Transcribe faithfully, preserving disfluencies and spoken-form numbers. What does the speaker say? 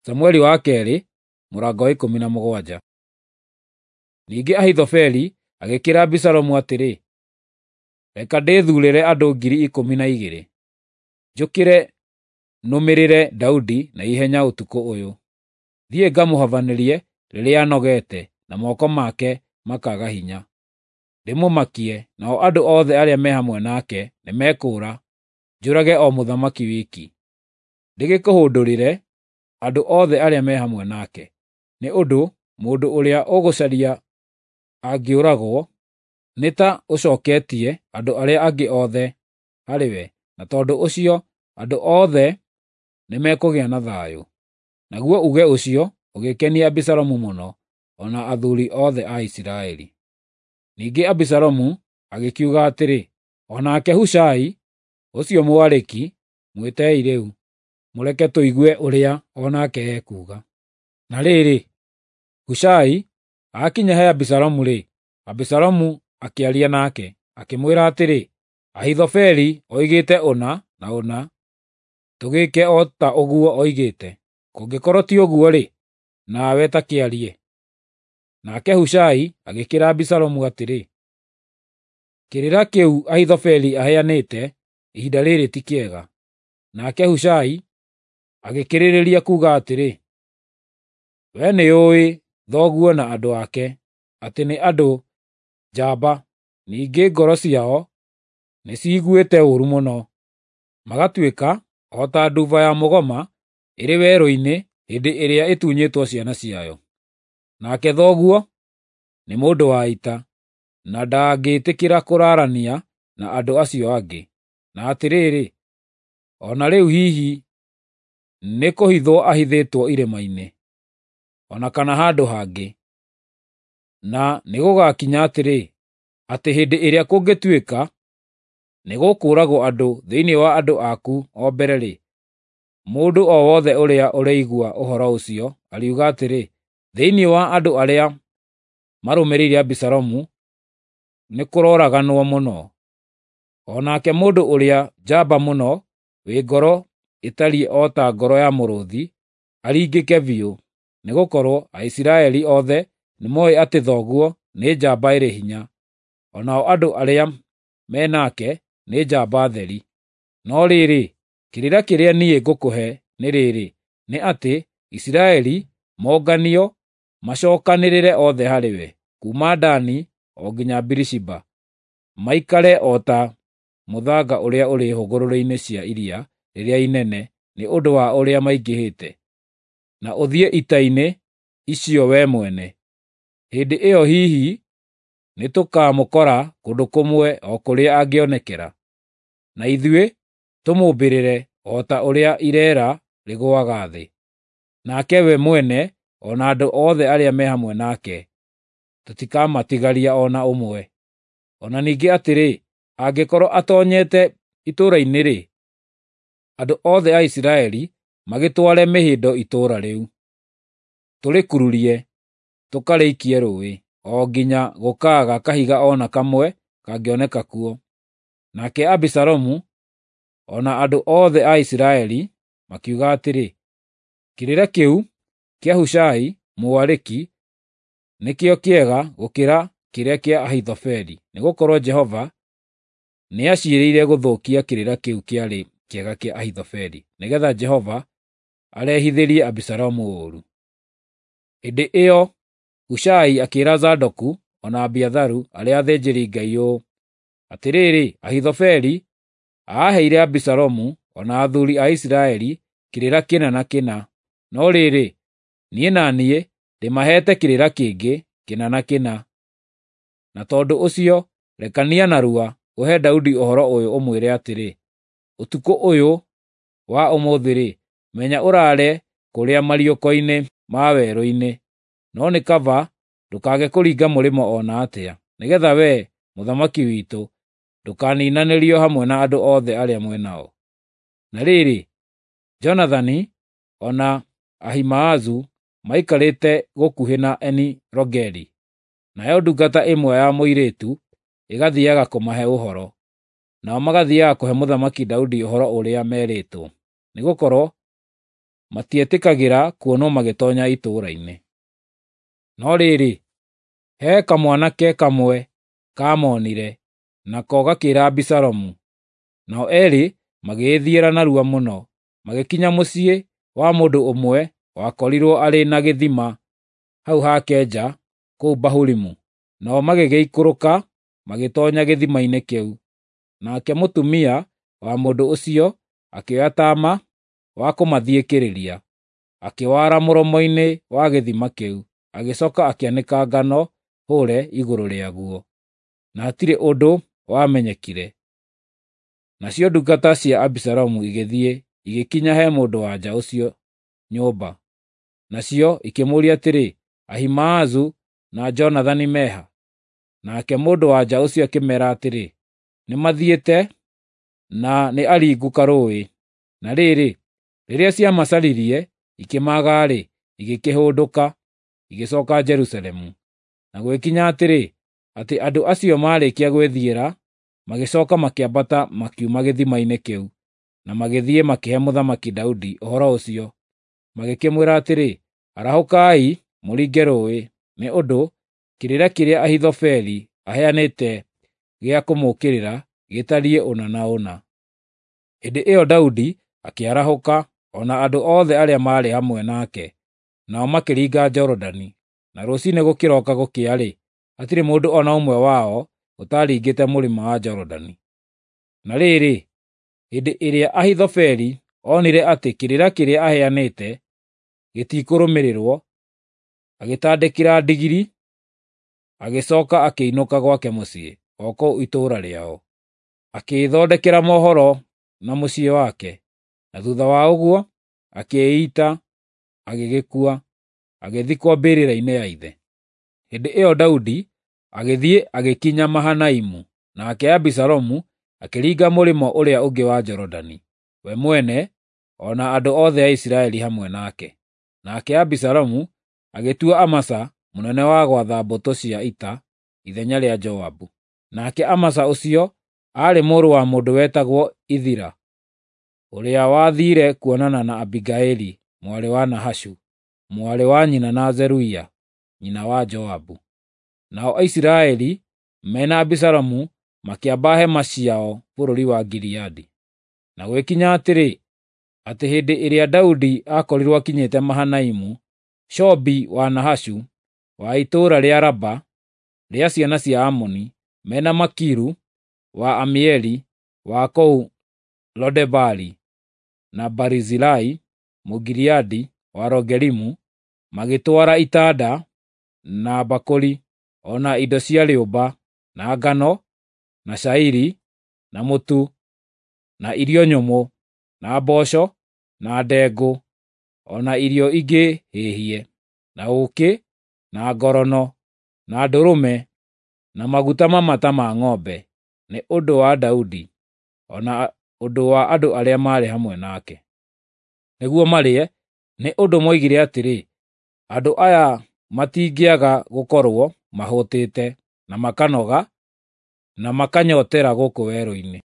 Samueli wa keerĩ mũrango wa ikũmi na mũgwanja. Ningĩ Ahithofeli agĩkĩĩra Abisalomu atĩrĩ, “Reka ndĩthuurĩre andũ ngiri ikũmi na igĩrĩ, njũkĩre nũmĩrĩre Daudi na ihenya ũtukũ ũyũ. Thiĩ ngamũhabanĩrie rĩrĩa anogete na moko make makaaga hinya. Ndĩmũmakie, nao andũ othe arĩa me hamwe nake nĩmekũũra, njũrage o mũthamaki wiki. Ndĩgĩkũhũndũrĩre andũ othe arĩa me hamwe nake, nĩ ũndũ mũndũ ũrĩa ũgũcaria angĩũragwo, nĩ ta ũcooketie andũ arĩa angĩ othe harĩwe, na tondũ ũcio andũ othe nĩmekũgĩa na thayũ.” Naguo uuge ũcio ũgĩkenia Abisalomu mũno, o na athuuri othe a Isiraeli. Ningĩ Abisalomu agĩkiuga atĩrĩ, “O nake Hushai ũcio Mũariki mwĩtei rĩu, mũreke tũigue ũrĩa o nake ekuuga.” Na rĩrĩ, Hushai aakinya he Abisalomu-rĩ, Abisalomu akĩaria nake, akĩmwĩra atĩrĩ, “Ahithofeli oigĩte ũna na ũna, tũgĩĩke o ta ũguo oigĩte. Kũngĩkorwo ti ũguo-rĩ, nawe ta kĩarie.” Nake Hushai agĩkĩĩra Abisalomu atĩrĩ, “Kĩrĩra kĩu Ahithofeli aheanĩte ihinda rĩrĩ ti kĩega.” Nake Hushai agĩkĩrĩrĩria kuuga atĩrĩ, “Wee nĩũũĩ thoguo na andũ ake, atĩ nĩ andũ njamba, ningĩ ngoro ciao nĩciiguĩte ũũru mũno, magatuĩka o ta nduba ya mũgoma ĩrĩ werũ-inĩ hĩndĩ ĩrĩa ĩtunyĩtwo ciana ciayo. Nake thoguo nĩ mũndũ wa ita, na ndangĩĩtĩkĩra kũraarania na andũ acio angĩ. Na atĩrĩrĩ, o na rĩu hihi nĩkũhithwo ahithĩtwo irĩma-inĩ, o na kana handũ hangĩ. Na nĩgũgakinya atĩrĩ, atĩ hĩndĩ ĩrĩa kũngĩtuĩka nĩgũkũũragwo andũ thĩinĩ wa andũ aku o mbere-rĩ, mũndũ o wothe ũrĩa ũrĩigua ũhoro ũcio ariuga atĩrĩ, ‘Thĩinĩ wa andũ arĩa marũmĩrĩire Abisalomu nĩkũrooraganwo mũno.’ O nake mũndũ ũrĩa njamba mũno wĩ ngoro ĩtariĩ o ta ngoro ya mũrũũthi aringĩke biũ, nĩgũkorwo Aisiraeli othe nĩmooĩ atĩ thoguo nĩ njamba ĩrĩ hinya, o nao andũ arĩa me nake nĩ njamba theri. No rĩrĩ, kĩrĩra kĩrĩa niĩ ngũkũhe nĩ rĩrĩ, nĩ atĩ Isiraeli monganio macookanĩrĩre othe harĩwe, kuuma Dani o nginya Birishiba, maikare o ta mũthanga ũrĩa ũrĩ hũgũrũrũ-inĩ cia iria rĩrĩa inene nĩ ũndũ wa ũrĩa maingĩhĩte, na ũthiĩ ita-inĩ icio wee mwene. Hĩndĩ ĩyo hihi nĩtũkamũkora kũndũ kũmwe o kũrĩa angĩonekera, na ithuĩ tũmũmbĩrĩre o ta ũrĩa ireera rĩgũaga thĩ. Nake we mwene o na andũ othe arĩa me hamwe nake tũtikamatigaria o na ũmwe. O na ningĩ atĩrĩ, angĩkorwo atoonyete itũũra-inĩ-rĩ, andũ othe a Isiraeli magĩtware mĩhĩndo itũũra rĩu, tũrĩkururie tũkarĩikie rũũĩ, o nginya gũkaaga kahiga o na kamwe kangĩoneka kuo. Nake Abisalomu o na andũ othe a Isiraeli makiuga atĩrĩ, “Kĩrĩra kĩu kĩa Hushai Mũariki nĩkĩo kĩega gũkĩra kĩrĩa kĩa Ahithofeli, nĩgũkorwo Jehova nĩaciirĩire gũthũkia kĩrĩra kĩu kĩarĩ kĩega kĩa Ahithofeli, nĩgeetha Jehova arehithĩrie Abisalomu ũũru.” Hĩndĩ ĩyo Hushai akĩĩra Zadoku o na Abiatharu arĩa athĩnjĩri-Ngai ũũ, “Atĩrĩrĩ, Ahithofeli aaheire Abisalomu o na athuuri a Isiraeli kĩrĩra kĩna na kĩna, no rĩrĩ, niĩ na niĩ ndĩmaheete kĩrĩra kĩngĩ kĩna na kĩna. Na tondũ ũcio rekania narua ũhe Daudi ũhoro ũyũ ũmwĩre atĩrĩ, ‘Ũtukũ ũyũ wa ũmũthĩ-rĩ, menya ũraare kũrĩa mariũko-inĩ ma werũ-inĩ, no nĩ kaba ndũkaage kũringa mũrĩmo o na atĩa, nĩgeetha wee, mũthamaki witũ, ndũkaniinanĩrio hamwe na andũ othe arĩa mwĩ nao.’ ” Na rĩrĩ, Jonathani o na Ahimaazu maikarĩte gũkuhĩ na Eni-Rogeli, nayo ndungata ĩmwe ya mũirĩtu ĩgathiiaga kũmahe ũhoro, nao magathiiaga kũhe Mũthamaki Daudi ũhoro ũrĩa meerĩtwo, nĩgũkorwo matietĩkagĩra kuonwo magĩtoonya itũũra-inĩ. No rĩrĩ, he kamwanake kamwe kaamonire, nako gakĩĩra Abisalomu. Nao eerĩ magĩĩthiĩra narua mũno, magĩkinya mũciĩ wa mũndũ ũmwe wakorirwo arĩ na gĩthima hau hake nja kũu Bahurimu. Nao magĩgĩikũrũka magĩtoonya gĩthima-inĩ kĩu. Nake mũtumia wa mũndũ ũcio akĩoya taama wa kũmathiĩkĩrĩria, akĩwara mũromo-inĩ wa gĩthima kĩu, agĩcooka akĩanĩka ngano hũũre igũrũ rĩaguo, na hatirĩ ũndũ wamenyekire. Nacio ndungata cia Abisalomu igĩthiĩ igĩkinya he mũndũ-wa-nja ũcio nyũmba. Nacio ikĩmũũria atĩrĩ, “Ahimaazu na Jonathani me ha?” Nake mũndũ-wa-nja ũcio akĩmeera atĩrĩ, “Nĩmathiĩte na nĩ aringu karũũĩ.” Na rĩrĩ, rĩrĩa ciamacaririe ikĩmaaga-rĩ, igĩkĩhũndũka, igĩcooka Jerusalemu. Na gũgĩkinya atĩrĩ, atĩ andũ acio maarĩkia gwĩthiĩra, magĩcooka makĩambata makiuma gĩthima-inĩ kĩu, na magĩthiĩ makĩhe Mũthamaki Daudi ũhoro ũcio. Magĩkĩmwĩra atĩrĩ, “Arahũkai mũringe rũũĩ, nĩ ũndũ kĩrĩra kĩrĩa Ahithofeli aheanĩte gĩa kũmũũkĩrĩra gĩtariĩ ũna na ũna.” Hĩndĩ ĩyo Daudi akĩarahũka, o na andũ othe arĩa maarĩ hamwe nake, nao makĩringa Jorodani. Na rũciinĩ gũkĩroka gũkĩa-rĩ, hatirĩ mũndũ o na ũmwe wao ũtaaringĩte mũrĩmo wa Jorodani. Na rĩrĩ, hĩndĩ ĩrĩa Ahithofeli onire atĩ kĩrĩra kĩrĩa aheanĩte gĩtikũrũmĩrĩrwo, agĩtandĩkĩra ndigiri, agĩcooka akĩinũka gwake mũciĩ, o kũu itũũra rĩao. Akĩĩthondekera mohoro na mũciĩ wake, na thuutha wa ũguo akĩĩita, agĩgĩkua, agĩthikwo mbĩrĩra-inĩ ya ithe. Hĩndĩ ĩyo Daudi agĩthiĩ agĩkinya Mahanaimu, nake Abisalomu akĩringa mũrĩmo ũrĩa ũngĩ wa Jorodani, we mwene o na andũ othe a Isiraeli hamwe nake. Nake Abisalomu agĩtua Amasa mũnene wa gwatha mbũtũ cia ita ithenya rĩa Joabu. Nake Amasa ũcio aarĩ mũrũ wa mũndũ wetagwo Ithira, ũrĩa wathiire kuonana na Abigaili mwarĩ wa Nahashu, mwarĩ wa nyina na Zeruia, nyina wa Joabu. Nao Aisiraeli me na Abisalomu makĩamba hema ciao bũrũri wa Gileadi. Na gũgĩkinya atĩrĩ, atĩ hĩndĩ ĩrĩa Daudi aakorirwo akinyĩte Mahanaimu, Shobi wa Nahashu wa itũũra rĩa Raba rĩa ciana cia Amoni, mena Makiru wa Amieli wa kũu Lodebari, na Barizilai Mũgileadi wa Rogelimu, magĩtwara itanda, na mbakũri, o na indo cia rĩũmba, na ngano, na cairi, na mũtu, na irio nyũmũ, na mboco, na ndengũ, o na irio ingĩ hĩhie, na ũũkĩ, na ngorono, na ndũrũme, na maguta mamata ma ng'ombe, nĩ ũndũ wa Daudi, o na ũndũ wa andũ arĩa maarĩ hamwe nake, nĩguo marĩe, nĩ ũndũ moigire atĩrĩ, “Andũ aya matingĩaga gũkorwo mahũtĩte, na makanoga, na makanyootera gũkũ werũ-inĩ.”